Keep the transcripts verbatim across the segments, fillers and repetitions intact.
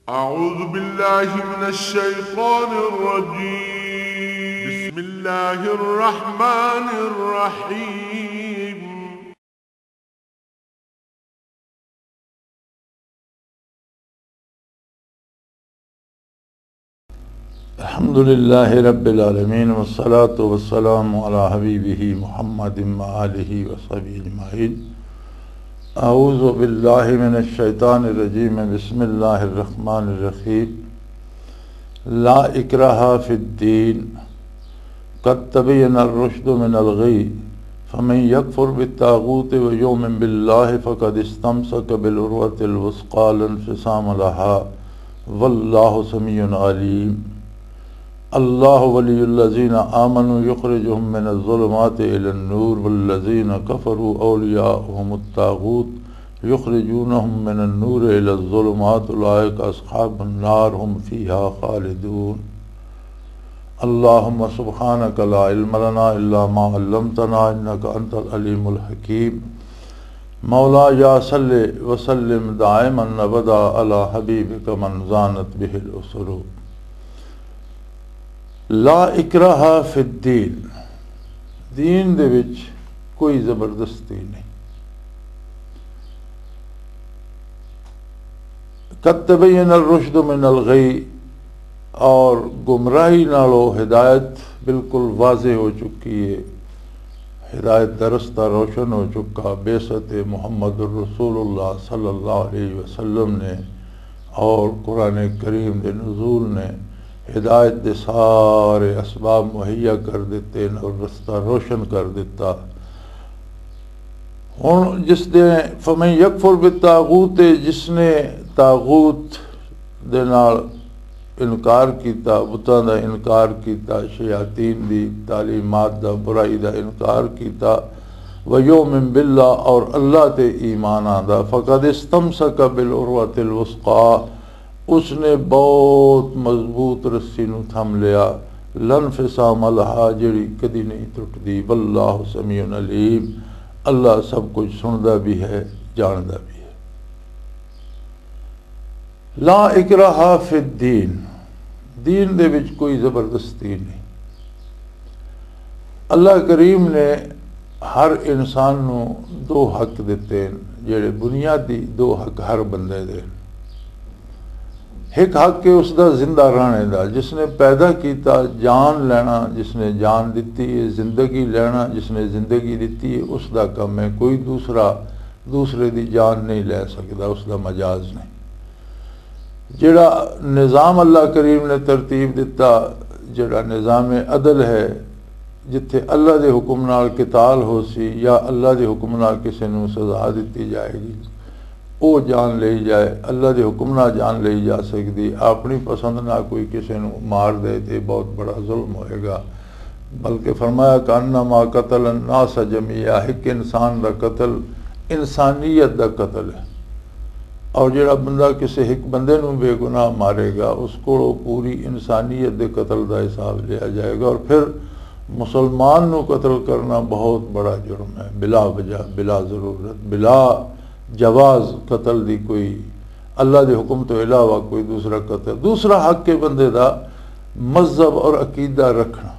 أعوذ بالله من الشيطان الرجيم. بسم الله الرحمن الرحيم. الحمد لله رب العالمين، والصلاة والسلام على حبيبه محمد وآله وصحبه أجمعين. أعوذ بالله من الشيطان الرجيم. بسم الله الرحمن الرحيم. لا إكراه في الدين، قد تبين الرشد من الغي، فمن يكفر بالطاغوت ويؤمن بالله فقد استمسك بالعروة الوثقى لا انفصام لها، والله سميع عليم. الله ولي الذين آمنوا يخرجهم من الظلمات إلى النور، والذين كفروا أولياؤهم الطاغوت يخرجونهم من النور إلى الظلمات، أولئك أصحاب النار هم فيها خالدون. اللهم سبحانك لا علم لنا إلا ما علمتنا إنك أنت العليم الحكيم. مولاي صل وسلم دائما أبدا على حبيبك من زانت به الأسر. لا إكراه في الدين، دین دے وچ کوئی زبردستی نہیں۔ قد تبين الرشد من الغي، اور گمراہی نالو ہدایت بالکل واضح ہو چکی ہے۔ ہدایت دا رستہ روشن ہو چکا۔ بعثت محمد الرسول اللہ صلی اللہ علیہ وسلم نے اور قرآن کریم دے نزول نے ہدایت دے سارے اسباب مہیا کر دیتے اور رستہ روشن کر دیتا۔ ہن جس دے فمن یکفر بالطاغوت، جس نے طاغوت دے نال انکار کیتا، بتاں دا انکار کیتا، شیاطین دی تعلیمات دا، برائی دا انکار کیتا، ویؤمن باللہ، اور اللہ تے ایمان آندا، فقد استمسک بالعروۃ الوثقی، اس نے بہت مضبوط رسی نو تھم لیا، لا انفصام لہا، جڑی کدی نہیں ٹٹدی۔ واللہ سمیع علیم، اللہ سب کچھ سندا بھی ہے، جاندا بھی ہے۔ لا اکراہ فی الدین، دین دے وچ کوئی زبردستی نہیں۔ اللہ کریم نے ہر انسان نو دو حق دتے ہیں، جڑے بنیادی دو حق ہر بندے دے۔ ایک حق ہے اس دا زندہ رہنے دا، جس نے پیدا کیتا جان لینا، جس نے جان دتی ہے زندگی لینا، جس نے زندگی دتی ہے، اس دا کم ہے۔ کوئی دوسرا دوسرے دی جان نہیں لے سکدا، اس دا مجاز نہیں۔ جڑا نظام اللہ کریم نے ترتیب دتا، جڑا نظام عدل ہے، جتھے اللہ دے حکم نال قتال ہو سی یا اللہ دے حکم نال کسے نوں سزا دتی جائے گی، او جان لئی جائے۔ اللہ دے حکم نال جان لئی جا سکدی، اپنی پسند نال کوئی کسے نوں مار دے تے بہت بڑا ظلم ہوئے گا۔ بلکہ فرمایا، کانما قتل الناس جمیعا، ایک انسان دا قتل انسانیت دا قتل ہے۔ اور جڑا بندہ کسے ایک بندے نوں بے گناہ مارے گا، اس کو پوری انسانیت دے قتل دا حساب لیا جائے گا۔ اور پھر مسلمان نوں قتل کرنا بہت بڑا جرم ہے، بلا وجہ، بلا ضرورت، بلا جواز قتل دی کوئی، اللہ دے حکم تو علاوہ کوئی دوسرا قتل۔ دوسرا حق ہے بندے دا مذہب اور عقیدہ رکھنا۔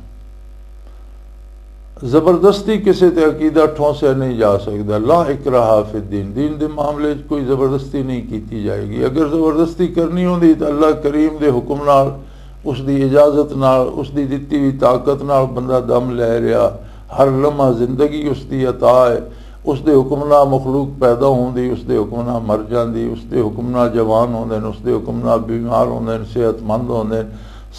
زبردستی کسے تے عقیدہ ٹھونسیا نہیں جا سکدا۔ لا اکراہ فی الدین، دین دے معاملے وچ کوئی زبردستی نہیں کیتی جائے گی۔ اگر زبردستی کرنی ہوندی تو اللہ کریم دے حکم نال، اس دی اجازت نال، اس دی دتی ہوئی طاقت نال بندہ دم لے رہا، ہر لمحہ زندگی اس دی عطا ہے۔ اس دے حکم نال مخلوق پیدا ہوندی، اس دے حکم نال مر جاندی، اس دے حکم نال جوان ہوندے نے، اس دے حکم نال بیمار ہوندے نے، صحت مند ہوندے نے۔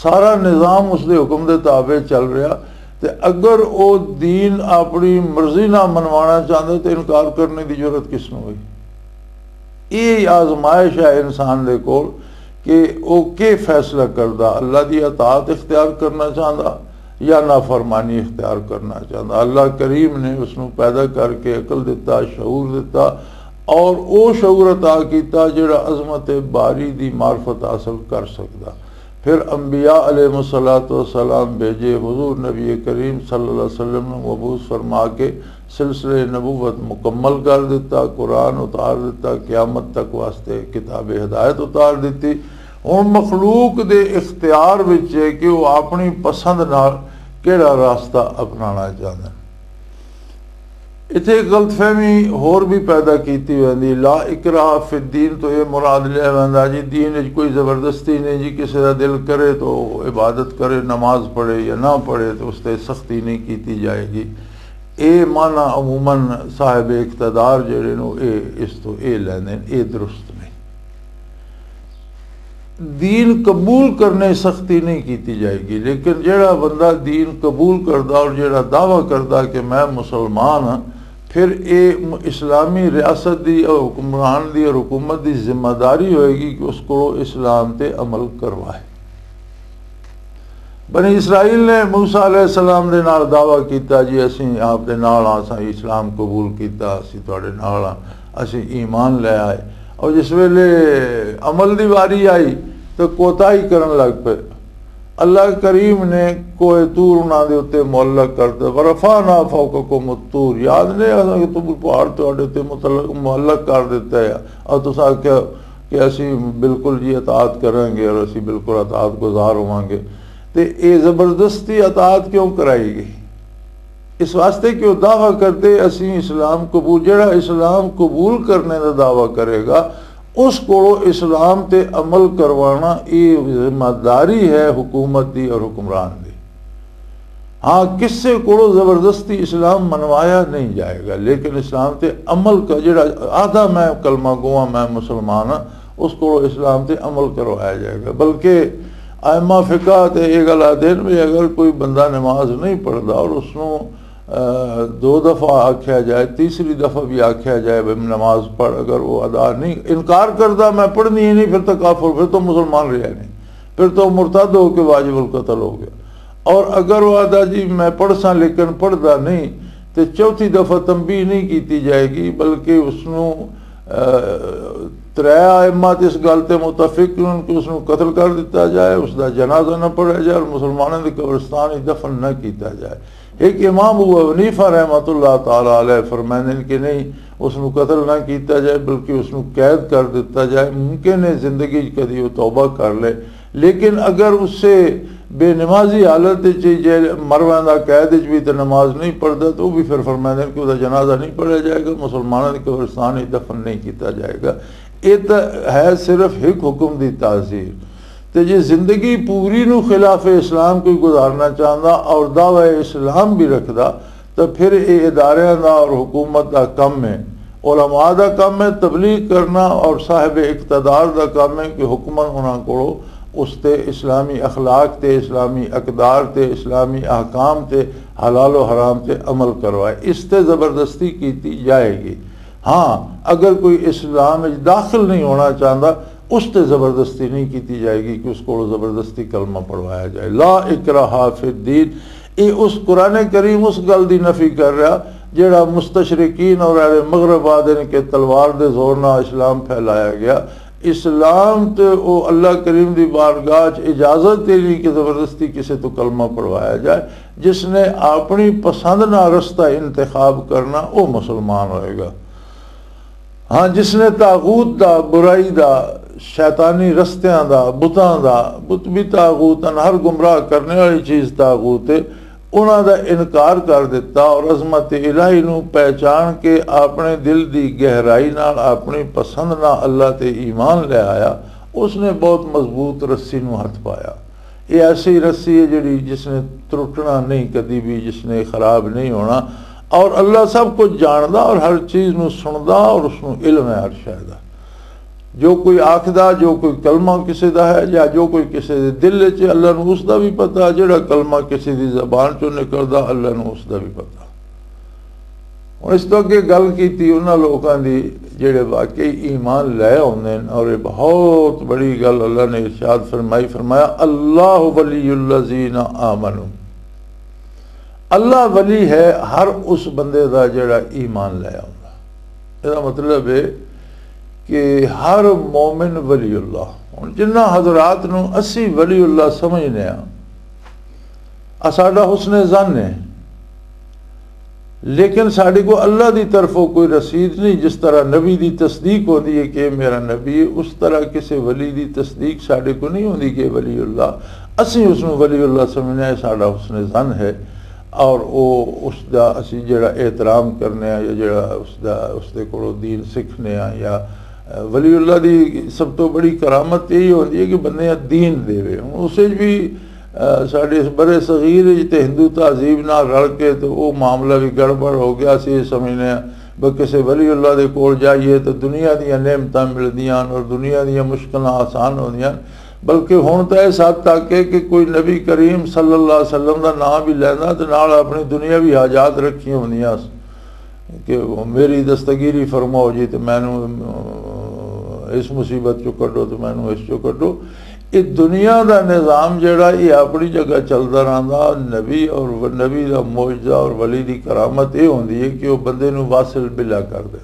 سارا نظام اس دے حکم دے تابع چل رہا۔ تے اگر او دین اپنی مرضی نال منوانا چاہندے تے انکار کرنے دی جرات کس نوں ہوئی؟ یہ آزمائش ہے انسان دے کول کہ او کی فیصلہ کردا، اللہ دی اطاعت اختیار کرنا چاہندا یا نافرمانی اختیار کرنا چاہندا۔ اللہ کریم نے اس نوں پیدا کر کے عقل دتا، شعور دتا، اور او شعور عطا کیتا جڑا عظمت باری دی معرفت حاصل کر سکدا۔ پھر انبیاء علیہ الصلوۃ والسلام بھیجے، حضور نبی کریم صلی اللہ علیہ وسلم نوں مبعوث فرما کے سلسلہ نبوت مکمل کر دیتا، قرآن اتار دیتا، قیامت تک واسطے کتاب ہدایت اتار دیتی۔ ہن مخلوق دے اختیار وچ ہے کہ وہ اپنی پسند نال کیڑا راستہ اپنانا چاہندے۔ اتھے ایک غلط فہمی ہور بھی پیدا کیتی ویندی۔ لا اکراہ فی الدین تو یہ مراد لیا ویندا جی، دین وچ کوئی زبردستی نہیں جی، کسی دا دل کرے تو عبادت کرے، نماز پڑھے یا نہ پڑھے، تو اس تے سختی نہیں کیتی جائے گی۔ اے معنی عموماً صاحب اقتدار جڑے نو، اے اس تو اے لیندے نے، اے درست نہیں۔ دین قبول کرنے سختی نہیں کیتی جائے گی، لیکن جڑا بندہ دین قبول کردا اور جڑا دعویٰ کردا کہ میں مسلمان ہاں، پھر اے م-، اسلامی ریاست دی اور حکمران دی اور حکومت دی ذمہ داری ہوئے گی کہ اس کو اسلام تے عمل کروائے۔ بنی اسرائیل نے موسیٰ علیہ السلام دے نال دعویٰ کیتا، "جی، اسیں آپ دے نال آں، اساں اسلام قبول کیتا، اسیں تہاڈے نال آں، اسیں ایمان لے آئے۔" اور جس ویلے عمل دی واری آئی، تو کوتاہی کرن لگ پئے۔ اللہ کریم نے کوہ طور انہاں دے اُتے معلق کر دے، "ورفعنا فوقکم الطور۔" یاد نے، اساں کہ طور پہاڑ تہاڈے اُتے متعلق، معلق کر دتا ہے، اور تساں آکھیا کہ اسی بالکل جی اطاعت کریں گے اور اسی بالکل اطاعت گزار ہوواں گے۔ تے اے زبردستی اطاعت کیوں کرائی گئی؟ اس واسطے کہ وہ دعویٰ کرتے، "اسی اسلام قبول۔" جڑا اسلام قبول کرنے دا دعویٰ کرے گا، اس کو اسلام تے عمل کروانا یہ ذمہ داری ہے حکومت دی اور حکمران دی۔ ہاں، کسے کو زبردستی اسلام منوایا نہیں جائے گا، لیکن اسلام تے عمل کا جڑا آدھا میں کلمہ گواں، میں مسلمان ہاں، اس کو اسلام تے عمل کروایا جائے گا۔ بلکہ ائمہ فقہ تے یہ گل آدھے نے بھی اگر کوئی بندہ نماز نہیں پڑھدا اور اس نوں، آ، دو دفعہ آکھیا جائے، تیسری دفعہ بھی آکھیا جائے بھی نماز پڑھ، اگر وہ ادا نہیں، انکار کردا، "میں پڑھنی ہی نہیں"، پھر تو کافر، پھر تو مسلمان رہا نہیں، پھر تو مرتد ہو کے واجب القتل ہو گیا۔ اور اگر وہ آدھا، "جی میں پڑھ ساں لیکن پڑھدا نہیں"، تے چوتھی دفعہ تنبیہ نہیں کیتی جائے گی، بلکہ اس نوں، آ، ترے ائمہ تے اس گل تے متفق ہن کہ اس نوں قتل کر دتا جائے، اس دا جنازہ نہ پڑھا جائے اور مسلمانوں دی قبرستان وچ دفن نہ کیتا جائے۔ ایک امام ابو حنیفہ رحمۃ اللہ تعالی علیہ فرمائندے نے کہ نہیں، اس نوں قتل نہ کیتا جائے، بلکہ اس نوں قید کر دتا جائے۔ ممکن ہے زندگی وچ کدی وہ توبہ کر لے، لیکن اگر اسے بے نمازی حالت وچ جے مر ویندا، قید وچ بھی تے نماز نہیں پڑھدا، تو وہ بھی پھر فرمائندے نے کہ اس دا جنازہ نہیں پڑھا جائے گا، مسلمانوں دی قبرستان وچ دفن نہیں کیتا جائے گا۔ یہ تو ہے صرف ایک حکم دی تعزیر۔ تے جے زندگی پوری نو خلاف اسلام کوئی گزارنا چاہندا اور دعوی اسلام بھی رکھدا، تو پھر یہ اداریاں دا اور حکومت دا کم ہے، علماء دا کم ہے تبلیغ کرنا، اور صاحب اقتدار دا کم ہے کہ حکمن انہاں کولوں اس تے اسلامی اخلاق تے، اسلامی اقدار تے، اسلامی احکام تے، حلال و حرام تے عمل کروائے۔ اس تے زبردستی کیتی جائے گی۔ ہاں، اگر کوئی اسلام وچ داخل نہیں ہونا چاہندا، اس تے زبردستی نہیں کیتی جائے گی کہ اس کو زبردستی کلمہ پڑھوایا جائے۔ لا اکراہ فی الدین، یہ اس قرآن کریم اس گل دی نفی کر رہا جڑا مستشرقین اور اہل مغرب آدھے نے کہ تلوار دے زور نال اسلام پھیلایا گیا۔ اسلام تے او اللہ کریم دی بارگاہ چ اجازت دینی کہ زبردستی کسے تو کلمہ پڑھوایا جائے۔ جس نے اپنی پسند نہ رستہ انتخاب کرنا، او مسلمان ہوئے گا۔ ہاں، جس نے طاغوت دا، برائی دا، شیطانی رستیاں دا، بتاں دا، بت بھی طاغوت ہیں، ہر گمراہ کرنے والی چیز طاغوت ہے، انہاں دا انکار کر دیتا اور عظمت الہی نو پہچان کے اپنے دل دی گہرائی نال اپنی پسند نال اللہ تے ایمان لے آیا، اس نے بہت مضبوط رسی نو ہتھ پایا۔ یہ ایسی رسی ہے جڑی جس نے ترٹنا نہیں کدی بھی، جس نے خراب نہیں ہونا۔ اور اللہ سب کچھ جاندا اور ہر چیز نو سندا اور اس نو علم ہے ہر شے دا۔ جو کوئی آکھدا، جو کوئی کلمہ کسے دا ہے یا جو کوئی کسے دے دل وچ ہے، اللہ نو اس دا بھی پتہ۔ جڑا کلمہ کسے دی زبان چوں نکلدا، اللہ نو اس دا بھی پتہ۔ ہن اس تو اگے گل کیتی انہاں لوکاں دی جڑے واقعی ایمان لے آوندے نے، اور یہ بہت بڑی گل اللہ نے ارشاد فرمائی، فرمایا، "اللہ ولی الذین آمنوا۔" اللہ ولی ہے ہر اس بندے دا جڑا ایمان لے آوندا۔ یہ مطلب ہے کہ ہر مومن ولی اللہ۔ ہن جنہ حضرات نو اسی ولی اللہ سمجھنے ہاں، آ ساڈا حسن ظن ہے۔ لیکن ساڈے کو اللہ دی طرفوں کوئی رسید نہیں۔ جس طرح نبی دی تصدیق ہوندی ہے کہ یہ میرا نبی ہے، اس طرح کسی ولی دی تصدیق ساڈے کو نہیں ہوندی کہ ولی اللہ، اسی اس نوں ولی اللہ سمجھنے ہیں، ساڈا حسن ظن ہے۔ اور او اس دا اسی جڑا احترام کرنے ہیں یا جڑا اس دا، اس دے کولوں دین سیکھنے ہیں یا، اے، ولی اللہ دی سب تو بڑی کرامت یہی ہوندی ہے کہ بندے دین دے وے۔ ہن اسے بھی، اے، ساڈے اس برے صغیر وچ تے ہندو تہذیب نال رل کے تے او معاملہ بھی گڑبڑ ہو گیا۔ اسی یہ سمجھنے ہیں بس کسے ولی اللہ دے کول جائیے تے دنیا دیاں نعمتاں ملدیاں اور دنیا دیاں مشکلاں آسان ہوندیاں۔ بلکہ ہن تاں اس حد تک ہے کہ کوئی نبی کریم صلی اللہ علیہ وسلم دا نام بھی لیندا تے نال اپنی دنیاوی حاجات رکھیاں ہوندیاں کہ میری دستگیری فرماؤ جی، تے مینوں، اہ، اس مصیبت چوں کڈو، تے مینوں اس چوں کڈو۔ یہ دنیا دا نظام جڑا، یہ اپنی جگہ چلدا رہندا۔ نبی اور و-، نبی دا معجزہ اور ولی دی کرامت یہ ہوندی ہے کہ وہ بندے نوں واصل بلا کر دے۔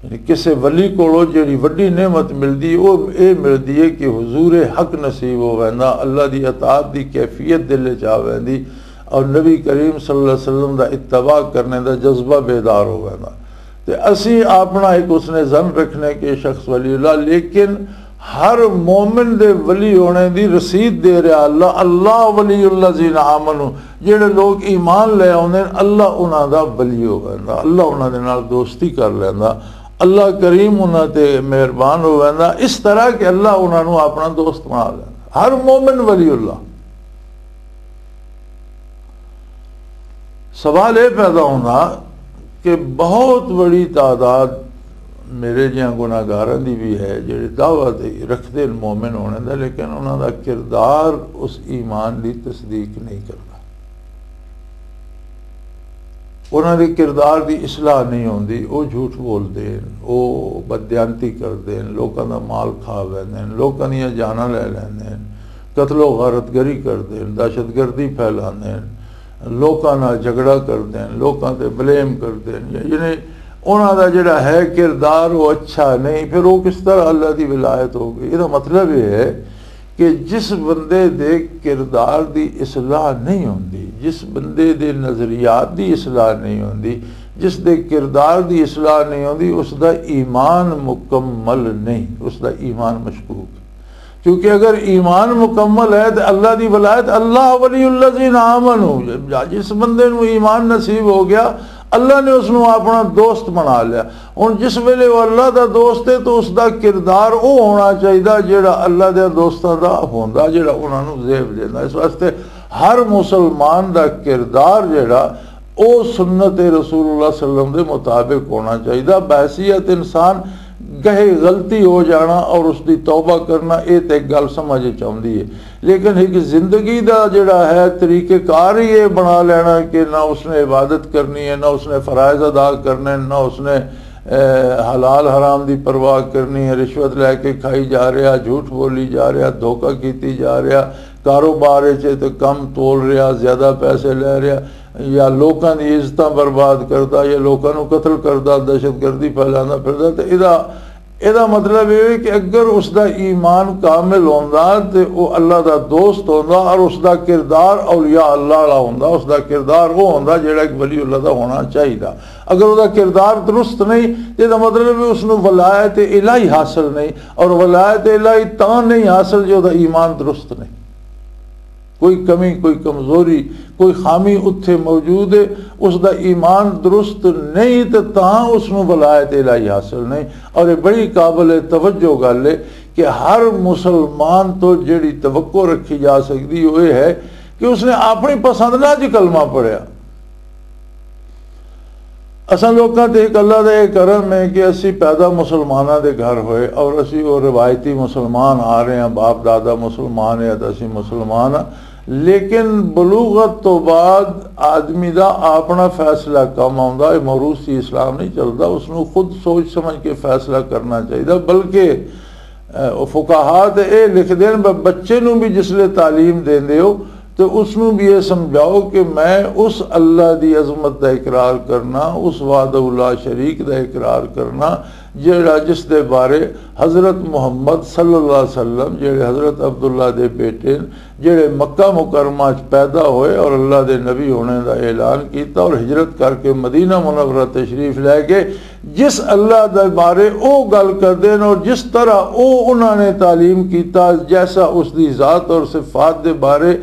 یعنی کسے ولی کولوں جڑی وڈی نعمت ملدی، او اے ملدی ہے کہ حضور حق نصیب ہو ویندا، اللہ دی اطاعت دی کیفیت دل وچ آ ویندی، اور نبی کریم صلی اللہ علیہ وسلم دا اتباع کرنے دا جذبہ بیدار ہو ویندا۔ تے اسی اپنا ایک حسن ظن رکھنے کہ شخص ولی اللہ، لیکن ہر مومن دے ولی ہونے دی رسید دے رہا اللہ، اللہ ولی الذین آمنو۔ جڑے لوگ ایمان لے آوندے نے، اللہ انہاں دا ولی ہو ویندا، اللہ انہاں دے نال دوستی کر لیندا، اللہ کریم انہاں تے مہربان ہو ویندا، اس طرح کہ اللہ انہاں نوں اپنا دوست بنا لیندا۔ ہر مومن ولی اللہ۔ سوال یہ پیدا ہونا کہ بہت بڑی تعداد میرے جیاں گناہگاراں دی بھی ہے، جڑے دعویٰ تے رکھدے نے مومن ہونے دا، لیکن انہاں دا کردار اس ایمان دی تصدیق نہیں کردا۔ انہاں دے کردار دی اصلاح نہیں ہوندی، او جھوٹ بولدے نے، او بددیانتی کردے نے، لوکاں دا مال کھا ویندے نے، لوکاں دیاں جاناں لے لیندے نے، قتل و غارت گری کردے نے، دہشت گردی پھیلاندے نے، لوکاں نال جھگڑا کردے نے، لوکاں تے بلیم کردے نے۔ یعنی انہاں دا جڑا ہے کردار، وہ اچھا نہیں، پھر وہ کس طرح اللہ دی ولایت ہو گئی؟ یہ مطلب یہ ہے کہ جس بندے دے کردار دی اصلاح نہیں ہوندی، جس بندے دے نظریات دی اصلاح نہیں ہوندی، جس دے کردار دی اصلاح نہیں ہوندی، اس دا ایمان مکمل نہیں، اس دا ایمان مشکوک۔ کیونکہ اگر ایمان مکمل ہے تو اللہ دی ولایت، اللہ ولی الذین آمنو، جس بندے نو ایمان نصیب ہو گیا، اللہ نے اس نو اپنا دوست بنا لیا۔ ہن جس ویلے وہ اللہ دا دوست ہے تو اس دا کردار وہ ہونا چاہیے جڑا اللہ دے دوستاں دا ہوندا، جڑا انہاں نو زیب دیندا۔ اس واسطے ہر مسلمان دا کردار جڑا او سنت رسول اللہ صلی اللہ علیہ وسلم دے مطابق ہونا چاہیے۔ بحیثیت انسان گہے غلطی ہو جانا اور اس دی توبہ کرنا، اے تے ایک گل سمجھ وچ آوندی ہے، لیکن ایک زندگی دا جڑا ہے طریقہ کار ہی یہ بنا لینا کہ نہ اس نے عبادت کرنی ہے، نہ اس نے فرائض ادا کرنے، نہ اس نے، اے، حلال حرام دی پرواہ کرنی ہے، رشوت لے کے کھائی جا رہا، جھوٹ بولی جا رہا، دھوکہ کیتی جا رہا، کاروبار وچ تے کم تول رہا، زیادہ پیسے لے رہا، یا لوکاں دی عزتاں برباد کردا، یا لوکاں نوں قتل کردا، دہشت گردی پھیلاندا پھردا، تے ادا، ادا مطلب یہ ہے کہ اگر اس دا ایمان کامل ہوندا تے او اللہ دا دوست ہوندا اور اس دا کردار اولیاء اللہ والا ہوندا، اس دا کردار وہ ہوندا جڑا ایک ولی اللہ دا ہونا چاہیدا۔ اگر اس دا کردار درست نہیں تے دا مطلب ہے اس نوں ولایت الہی حاصل نہیں، اور ولایت الہی تاں نہیں حاصل جو دا ایمان درست نہیں۔ کوئی کمی، کوئی کمزوری، کوئی خامی اتھے موجود ہے، اس دا ایمان درست نہیں تے تاں اس نوں ولایت الہی حاصل نہیں۔ اور یہ بڑی قابل توجہ گل ہے کہ ہر مسلمان تو جڑی توقع رکھی جا سکتی وہ یہ ہے کہ اس نے اپنی پسند نال جی کلمہ پڑھیا۔ اساں لوکاں تے ایک اللہ دا یہ کرم ہے کہ اسی پیدا مسلماناں دے گھر ہوئے اور اسی وہ روایتی مسلمان آ رہے ہیں، باپ دادا مسلمان ہے تے اسی مسلمان ہاں۔ لیکن بلوغت تو بعد آدمی دا اپنا فیصلہ کم آوندا ہے، موروثی اسلام نہیں چلدا، اس نوں خود سوچ سمجھ کے فیصلہ کرنا چاہیدا۔ بلکہ، اے، فقہا تے اے لکھ دین، ب-، بچے نوں بھی جس لے تعلیم دیندے ہو تو اس نوں بھی یہ سمجھاؤ کہ میں اس اللہ دی عظمت دا اقرار کرنا، اس وحدہ لا شریک دا اقرار کرنا، جڑا، جس دے بارے حضرت محمد صلی اللہ علیہ وسلم، جڑے حضرت عبداللہ دے بیٹے نے، جڑے مکہ مکرمہ چ پیدا ہوئے اور اللہ دے نبی ہونے دا اعلان کیتا اور ہجرت کر کے مدینہ منورہ تشریف لے گئے، جس اللہ دے بارے او گل کردے نے اور جس طرح او انہاں نے تعلیم کیتا، جیسا اس دی ذات اور صفات دے بارے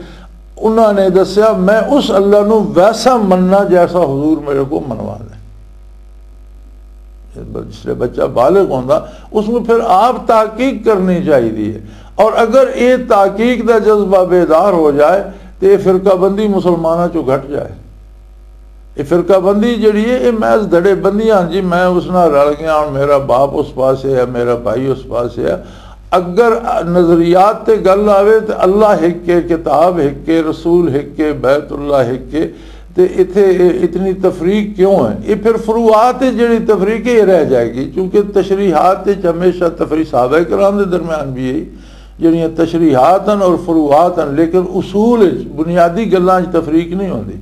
انہاں نے دسیا، میں اس اللہ نو ویسا مننا جیسا حضور میرے کو منوا دے۔ جس لئے بچہ بالغ ہوندا، اس نو پھر آپ تحقیق کرنی چاہیے۔ اور اگر یہ تحقیق دا جذبہ بیدار ہو جائے تو یہ فرقہ بندی مسلمانوں چوں گھٹ جائے۔ یہ فرقہ بندی جڑی ہے، یہ محض دھڑے بندیاں، جی میں اس نال رل گیا، ہن میرا باپ اس پاسے ہے، میرا بھائی اس پاسے ہے۔ اگر نظریات تے گل آوے تے اللہ ہک ہے، کتاب ہک ہے، رسول ہک ہے، بیت اللہ ہک ہے، تے اتھے اے اتنی تفریق کیوں ہے؟ یہ پھر فروعات وچ جڑی تفریق ہے، یہ رہ جائے گی، کیونکہ تشریحات وچ ہمیشہ تفریح، صحابہ کرام دے درمیان بھی ہے، جڑیاں تشریحات ہیں اور فروعات ہیں، لیکن اصول وچ، بنیادی گلاں وچ تفریق نہیں ہوندی۔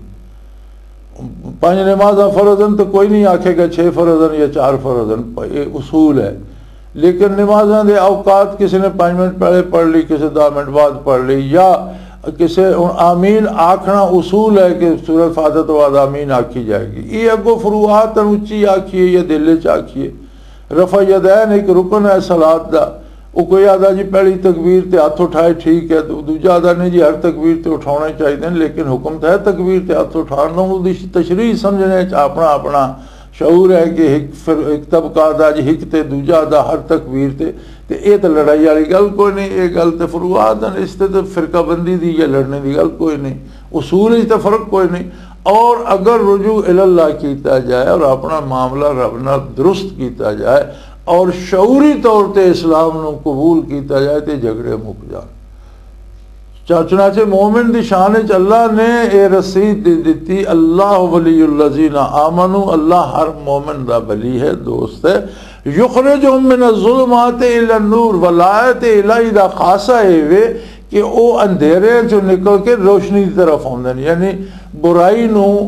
پنج نمازاں فرض ہیں تو کوئی نہیں آکھے گا چھ فرض ہیں یا چار فرض ہیں، یہ اصول ہے۔ لیکن نمازاں دے اوقات، کسی نے پنج منٹ پہلے پڑھ لی، کسی دہ منٹ بعد پڑھ لی، یا کسی، ہن آمین آکھنا اصول ہے کہ سورۃ فاتحہ تو بعد آمین آکھی جائے گی۔ یہ اگوں فروعات ہیں، اچی آکھیے یا دل وچ آکھیے۔ رفع یدین ایک رکن ہے صلات دا۔ وہ کوئی آدھا جی پہلی تکبیر تے ہاتھ اٹھائے، ٹھیک ہے، دو-، دوجا آدھا نہیں جی ہر تکبیر تے اٹھانے چاہیے، لیکن حکم تو ہے تکبیر تے ہاتھ اٹھان دا، وہ دی تشریح سمجھنے چ اپنا اپنا شعور ہے کہ ایک فر-، ایک طبقہ آدھا جی ایک تے دوجا آدھا ہر تکبیر تے، تے اے تے لڑائی والی گل کوئی نہیں، اے گل تے فروعات ہیں، اس تے تے فرقہ بندی دی یا لڑنے دی گل کوئی نہیں، اصول ہی تے فرق کوئی نہیں۔ اور اگر رجوع الی اللہ کیتا جائے اور اپنا معاملہ رب نال درست کیتا جائے اور شعوری طور تے اسلام نو قبول کیتا جائے تے جھگڑے مک جان۔ چا-، چنانچہ مومن دی شان وچ اللہ نے اے رسید دے دتی، اللہ ولی الذین آمنو، اللہ ہر مومن دا ولی ہے، دوست ہے۔ یخرجہم من الظلمات الی النور، ولایت الہی دا خاصہ اے وے کہ او اندھیرے چوں نکل کے روشنی دی طرف آوندے نے، یعنی برائی نو،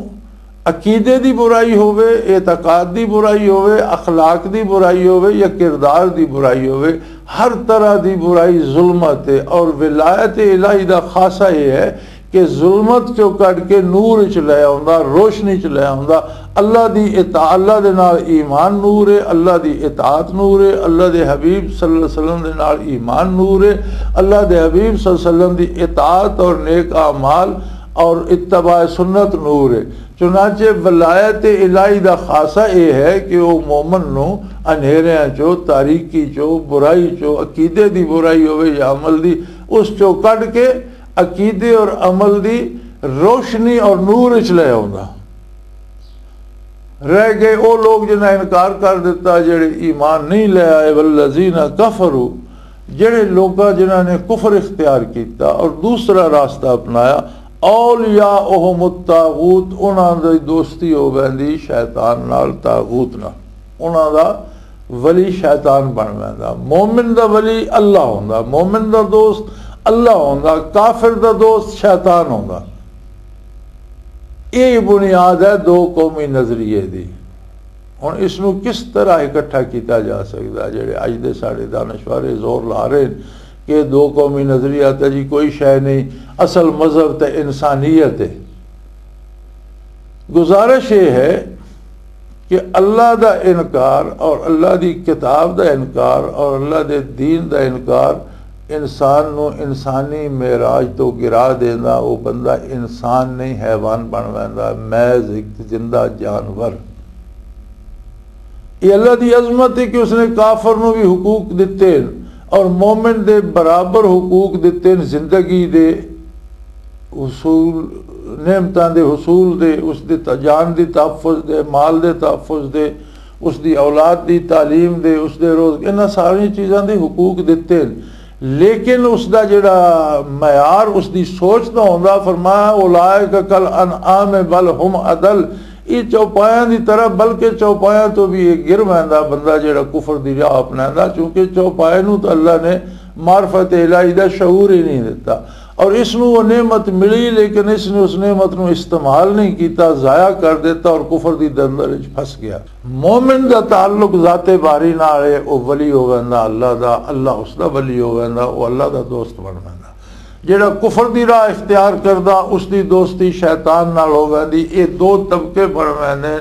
عقیدے دی برائی ہووے، اعتقاد دی برائی ہووے، اخلاق دی برائی ہووے یا کردار دی برائی ہووے، ہر طرح دی برائی ظلمت ہے۔ اور ولایت الہی دا خاصہ یہ ہے کہ ظلمت چوں کڈ کے نور وچ لے آوندا، روشنی چ لے آوندا۔ اللہ دی اطاعت، اللہ دے نال ایمان نور ہے، اللہ دی اطاعت نور ہے، اللہ دے حبیب صلی اللہ علیہ وسلم دے نال ایمان نور ہے، اللہ دے حبیب صلی اللہ علیہ وسلم دی اطاعت اور نیک اعمال اور اتباع سنت نور ہے۔ چنانچہ ولایت الہی دا خاصہ اے ہے کہ او مومن نو انہیریاں چو، تاریکی چو، برائی چو، عقیدے دی برائی ہوے یا عمل دی، اس چو کڈ کے عقیدے اور عمل دی روشنی اور نور وچ لے آوندا۔ رہ گئے او لوگ جنہاں انکار کر دتا، جڑے ایمان نہیں لے آئے۔ والذین کفروا، جڑے لوکاں جنہاں نے کفر اختیار کیتا اور دوسرا راستہ اپنایا، اولیاءہم الطاغوت، انہاں دی دوستی ہو ویندی شیطان نال، طاغوت نال۔ انہاں دا ولی شیطان بن ویندا۔ مومن دا ولی اللہ ہوندا، مومن دا دوست اللہ ہوندا، کافر دا دوست شیطان ہوندا۔ یہ بنیاد ہے دو قومی نظریے دی۔ ہن اس نوں کس طرح اکٹھا کیتا جا سکدا؟ جڑے اج دے ساڈے دانشور زور لا رہے ہیں کہ دو قومی نظریہ تے جی کوئی شے نہیں، اصل مذہب تے انسانیت ہے۔ گزارش یہ ہے کہ اللہ دا انکار اور اللہ دی کتاب دا انکار اور اللہ دے دین دا انکار انسان نو انسانی معراج تو گرا دیندا۔ وہ بندہ انسان نہیں، حیوان بن ویندا، محض ایک زندہ جانور۔ یہ اللہ دی عظمت ہے کہ اس نے کافر نو بھی حقوق دتے ہیں اور مومن دے برابر حقوق دتے ہیں، زندگی دے حصول، نعمتاں دے حصول دے، اس دے ت-، جان دی تحفظ دے، مال دے تحفظ دے، اس دی اولاد دی تعلیم دے، اس دے روز، انہاں ساری چیزاں دے حقوق دتے ہیں۔ لیکن اس دا جڑا معیار، اس دی سوچ دا ہوندا، فرمایا، "اولئک کل انعام بل ہم اضل"، یہ چوپایاں دی طرح، بلکہ چوپایاں تو بھی یہ گر ویندا بندہ جڑا کفر دی راہ اپنیندا، چونکہ چوپائے نوں تو اللہ نے معرفت الہی دا شعور ہی نہیں دتا۔ اور اس نو وہ نعمت ملی، لیکن اس نے اس نعمت نو استعمال نہیں کیتا، ضائع کر دیتا اور کفر دی دلدل وچ پھس گیا۔ مومن دا تعلق ذات باری نال ہے، او ولی ہو ویندا اللہ دا، اللہ اس دا ولی ہو ویندا، او اللہ دا دوست بن ویندا۔ جیڑا کفر دی راہ اختیار کردا، اس دی دوستی شیطان نال ہو ویندی۔ اے دو طبقے بن ویندے،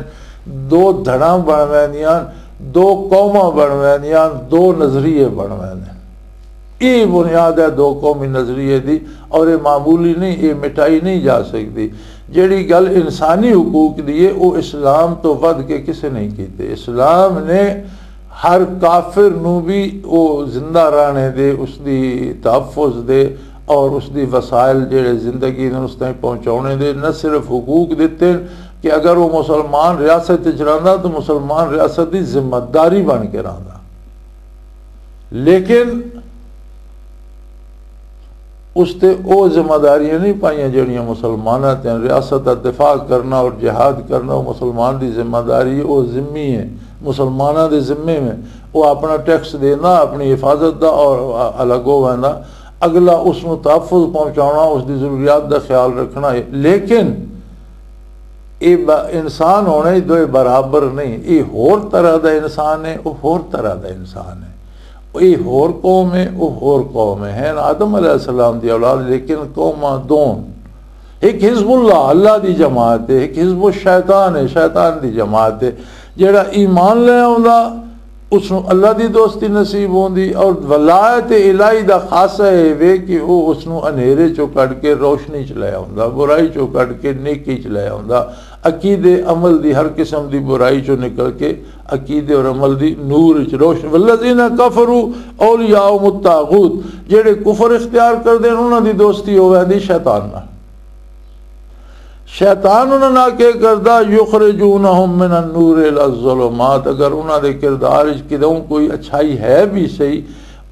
دو دھڑاں بن ویندیاں، دو قوماں بن ویندیاں، دو نظریے بن ویندے۔ یہ بنیاد ہے دو قومی نظریے دی، اور یہ معمولی نہیں، یہ مٹائی نہیں جا سکتی۔ جیڑی گل انسانی حقوق دی ہے، وہ اسلام تو ودھ کے کسے نہیں کیتے۔ اسلام نے ہر کافر نو بھی وہ زندہ رہنے دے، اس دی تحفظ دے اور اس دی وسائل جڑے زندگی نے اس تائیں پہنچاؤنے دے نہ صرف حقوق دیتے ہیں کہ اگر وہ مسلمان ریاست وچ رہندا تو مسلمان ریاست دی ذمہ داری بن کے رہندا، لیکن اس تے او ذمہ داریاں نہیں پائیاں جڑیاں مسلماناں تے ہیں۔ ریاست دا دفاع کرنا اور جہاد کرنا، او مسلمان دی ذمہ داری ہے، او ذمی ہے، مسلماناں دے ذمے میں۔ او اپنا ٹیکس دینا، اپنی حفاظت دا اور الگ ہو ویندا۔ اگلا اس نو تحفظ پہنچانا، اس دی ضروریات دا خیال رکھنا ہے۔ لیکن اے با-، انسان ہونے ہی دوئے برابر نہیں۔ اے ہور طرح دا انسان ہے، او ہور طرح دا انسان ہے۔ اے ہور قوم ہے، او ہور قوم ہے۔ ہیں آدم علیہ السلام دی اولاد، لیکن قوماں دون۔ ایک حزب اللہ، اللہ دی جماعت ہے، ایک حزب الشیطان ہے، شیطان دی جماعت ہے۔ جڑا ایمان لے آوندا، اس نو اللہ دی دوستی نصیب ہوندی، اور ولایت الہی دا خاصہ اے وے کہ او اس نو انہیرے چوں کڈ کے روشنی چ لے آوندا، برائی چوں کڈ کے نیکی چ لے آوندا، عقیدے عمل دی ہر قسم دی برائی چوں نکل کے عقیدے اور عمل دی نور چ روشن۔ والذین کفروا اولیاء الطاغوت، جڑے کفر اختیار کردے نے، انہاں دی دوستی ہووے دی شیطان نال۔ شیطان انہاں نال کے کردا؟ یخرجونہم من النور الی الظلمات۔ اگر انہاں دے کردار وچ کدوں کوئی اچھائی ہے بھی صحیح،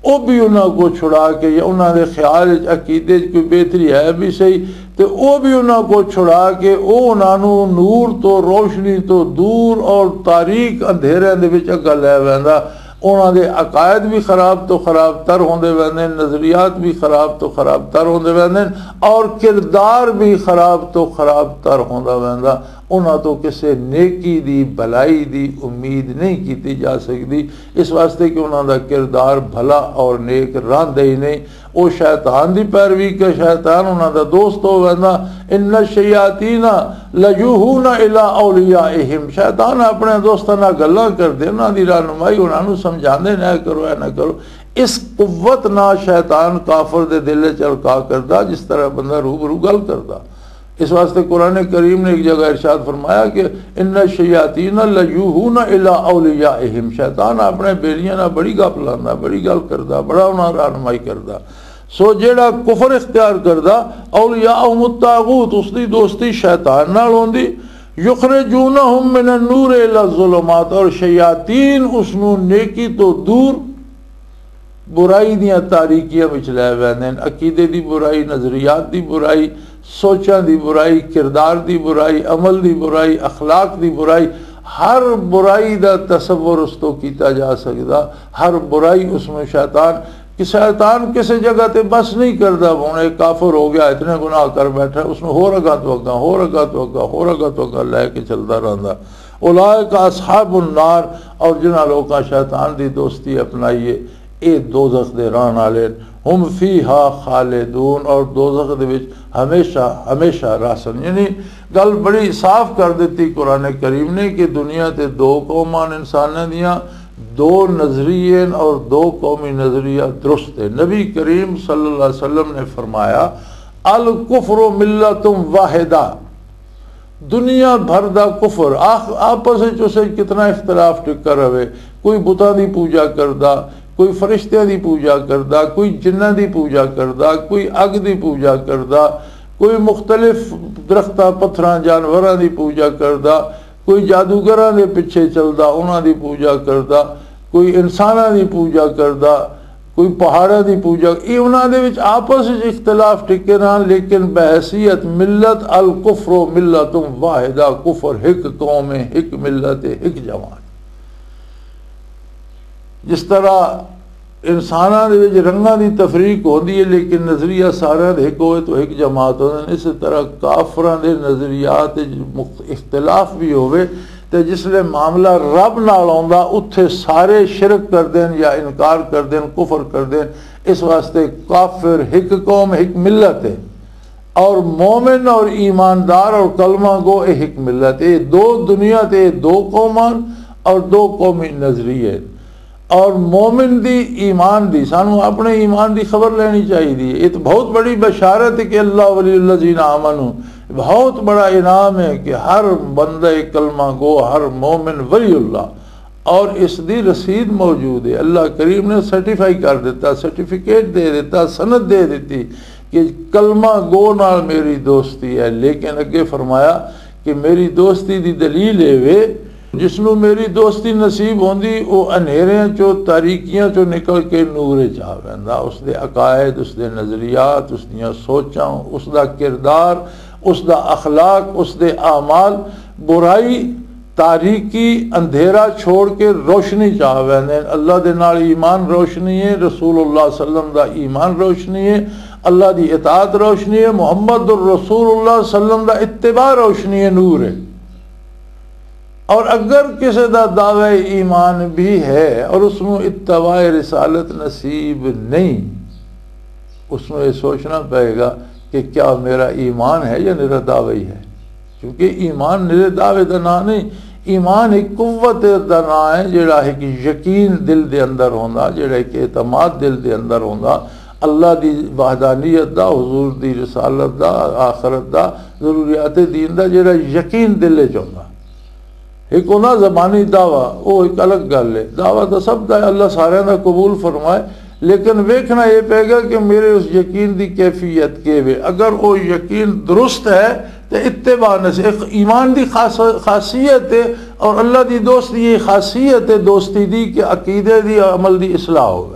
او بھی انہاں کو چھڑا کے، یا انہاں دے خیال وچ عقیدے وچ کوئی بہتری ہے بھی صحیح، تے او بھی انہاں کو چھڑا کے او انہاں نوں نور تو، روشنی تو دور اور تاریک اندھیریاں دے وچ اگا لے ویندا۔ انہاں دے عقائد بھی خراب تو خراب تر ہوندے ویندے نے، نظریات بھی خراب تو خراب تر ہوندے ویندے نے، اور کردار بھی خراب تو خراب تر ہوندا ویندا۔ انہاں تو کسے نیکی دی، بھلائی دی امید نہیں کیتی جا سکدی، اس واسطے کہ انہاں دا کردار بھلا اور نیک رہندا ہی نہیں۔ او شیطان دی پیروی کے، شیطان انہاں دا دوست ہو ویندا۔ ان الشیاطین لیوحون الی اولیائہم، شیطان اپنے دوستاں نال گلاں کردے، انہاں دی رہنمائی، انہاں نوں سمجھاندے نے، "اے کرو، اے نہ کرو۔" اس قوت نال شیطان کافر دے دل وچ القا کردا، جس طرح بندہ روبرو گل کردا۔ اس واسطے قرآن کریم نے ایک جگہ ارشاد فرمایا کہ ان الشیاطین لیوحون الی اولیائہم، شیطان اپنے بیلیاں نال بڑی گپ لاندا، بڑی گل کردا، بڑا انہاں رہنمائی کردا۔ سو جیڑا کفر اختیار کردا، اولیاءہم الطاغوت، اس دی دوستی شیطان نال ہوندی۔ یخرجونہم من النور الی الظلمات، اور شیاطین اس نو نیکی تو دور، برائی دیاں تاریکیاں وچ لے ویندے نے۔ عقیدے دی برائی، نظریات دی برائی، سوچاں دی برائی، کردار دی برائی، عمل دی برائی، اخلاق دی برائی، ہر برائی دا تصور اس تو کیتا جا سکدا، ہر برائی اس میں شیطان، کہ شیطان کسے جگہ تے بس نہیں کردا، ہن ایک کافر ہو گیا، اتنے گناہ کر بیٹھا، اس نوں ہور اگاں تو اگاں، ہور اگاں تو اگاں، ہور اگاں تو اگاں لے کے چلدا رہندا۔ اولئک اصحاب النار، اور جنہاں لوکاں شیطان دی دوستی اپنائی ہے، اے دوزخ دے رہن والے، ہم فیہا خالدون، اور دوزخ دے وچ ہمیشہ ہمیشہ رہسن۔ یعنی گل بڑی صاف کر دتی قرآن کریم نے کہ دنیا تے دو قوماں انساناں دیاں، دو نظریے اور دو قومی نظریہ درست ہے۔ نبی کریم صلی اللہ علیہ وسلم نے فرمایا، الکفر ملت واحدہ، دنیا بھر دا کفر، آخ-، آپس وچ اسے کتنا اختلاف ٹکا رہے، کوئی بتاں دی پوجا کردا، کوئی فرشتیاں دی پوجا کردا، کوئی جناں دی پوجا کردا، کوئی اگ دی پوجا کردا، کوئی مختلف درختاں، پتھراں، جانوراں دی پوجا کردا، کوئی جادوگراں دے پیچھے چلدا، انہاں دی پوجا کردا، کوئی انساناں دی پوجا کردا، کوئی پہاڑاں دی پوجا، یہ انہاں دے وچ آپس وچ اختلاف ٹکے رہن، لیکن بحیثیت ملت الکفر ملت واحدہ، کفر ایک قوم ہے، ایک ملت ہے، ایک جماعت۔ جس طرح انساناں دے وچ رنگاں دی تفریق ہوندی ہے، لیکن نظریہ سارے دے ہک ہوئے تو ہک جماعت ہوندے نے۔ اسی طرح کافراں دے نظریات وچ مخت-، اختلاف بھی ہوئے، تے جس لے معاملہ رب نال آوندا، اتھے سارے شرک کر دین یا انکار کر دین، کفر کر دین۔ اس واسطے کافر ہک قوم، ہک ملت ہے، اور مومن اور ایماندار اور کلمہ گو اے ہک ملت ہے۔ دو دنیا تے دو قومان اور دو قومی نظریے۔ اور مومن دی ایمان دی، سانو اپنے ایمان دی خبر لینی چاہیے۔ یہ تو بہت بڑی بشارت ہے کہ اللہ ولی الذین آمنو، بہت بڑا انعام ہے کہ ہر بندہ کلمہ گو، ہر مومن ولی اللہ، اور اس دی رسید موجود ہے۔ اللہ کریم نے سرٹیفائی کر دیتا، سرٹیفکیٹ دے دیتا، سند دے دیتی کہ کلمہ گو نال میری دوستی ہے۔ لیکن اگے فرمایا کہ میری دوستی دی دلیل اے وے، جس نوں میری دوستی نصیب ہوندی، او انہیریاں چوں، تاریکیاں چوں نکل کے نور وچ آ ویندا۔ اس دے عقائد، اس دے نظریات، اس دیاں سوچاں، اس دا کردار، اس دا اخلاق، اس دے اعمال، برائی، تاریکی، اندھیرا چھوڑ کے روشنی چ آ ویندے نے۔ اللہ دے نال ایمان روشنی ہے، رسول اللہ صلی اللہ علیہ وسلم دا ایمان روشنی ہے، اللہ دی اطاعت روشنی ہے، محمد الرسول اللہ صلی اللہ علیہ وسلم دا اتباع روشنی ہے، نور ہے۔ اور اگر کسی دا دعوی ایمان بھی ہے اور اس نوں اتباع رسالت نصیب نہیں، اس نوں یہ سوچنا پائے گا کہ کیا میرا ایمان ہے یا میرا دعوی ہے۔ کیونکہ ایمان میرے دعوے دا نام نہیں، ایمان ایک قوت دا نام ہے، جڑا ایک یقین دل دے اندر ہوندا، جڑا ایک اعتماد دل دے اندر ہوندا، اللہ دی وحدانیت دا، حضور دی رسالت دا، آخرت دا، ضروریات دین دا جڑا یقین دل وچ ہوندا۔ ایک ہوندا زبانی دعویٰ، وہ ایک الگ گل ہے۔ دعویٰ تو سب دا ہے، اللہ سارے دا قبول فرمائے، لیکن ویکھنا یہ پے گا کہ میرے اس یقین دی کیفیت کے وے۔ اگر وہ یقین درست ہے تو اتباع نصیب، ایک ایمان دی خاص-، خاصیت ہے، اور اللہ دی دوستی یہ خاصیت ہے دوستی دی کہ عقیدے دی، عمل دی اصلاح ہوگی۔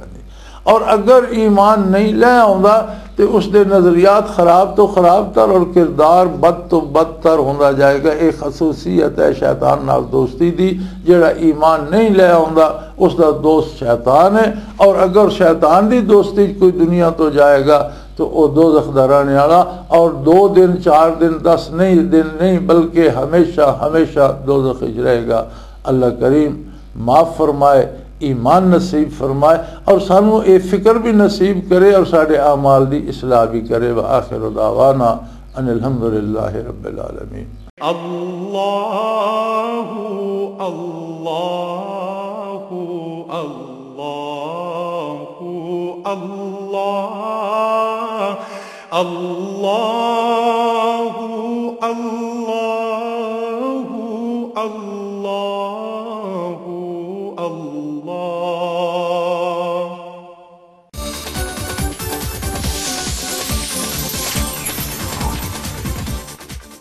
اور اگر ایمان نہیں لے آوندا تے اس دے نظریات خراب تو خراب تر اور کردار بد تو بدتر ہوندا جائے گا۔ ایک خصوصیت ہے شیطان نال دوستی دی، جڑا ایمان نہیں لے آوندا، اس دا دوست شیطان ہے۔ اور اگر شیطان دی دوستی کوئی دنیا تو جائے گا تو وہ دوزخ دا رہنے والا، اور دو دن، چار دن، دس نہیں، دن نہیں، بلکہ ہمیشہ ہمیشہ دوزخ وچ رہے گا۔ اللہ کریم معاف فرمائے، ایمان نصیب فرمائے، اور سانو اے فکر بھی نصیب کرے اور ساڈے اعمال دی اصلاح بھی کرے۔ وآخر دعوانا ان الحمد للہ رب العالمین۔ اللہ، اللہ، اللہ، اللہ، اللہ۔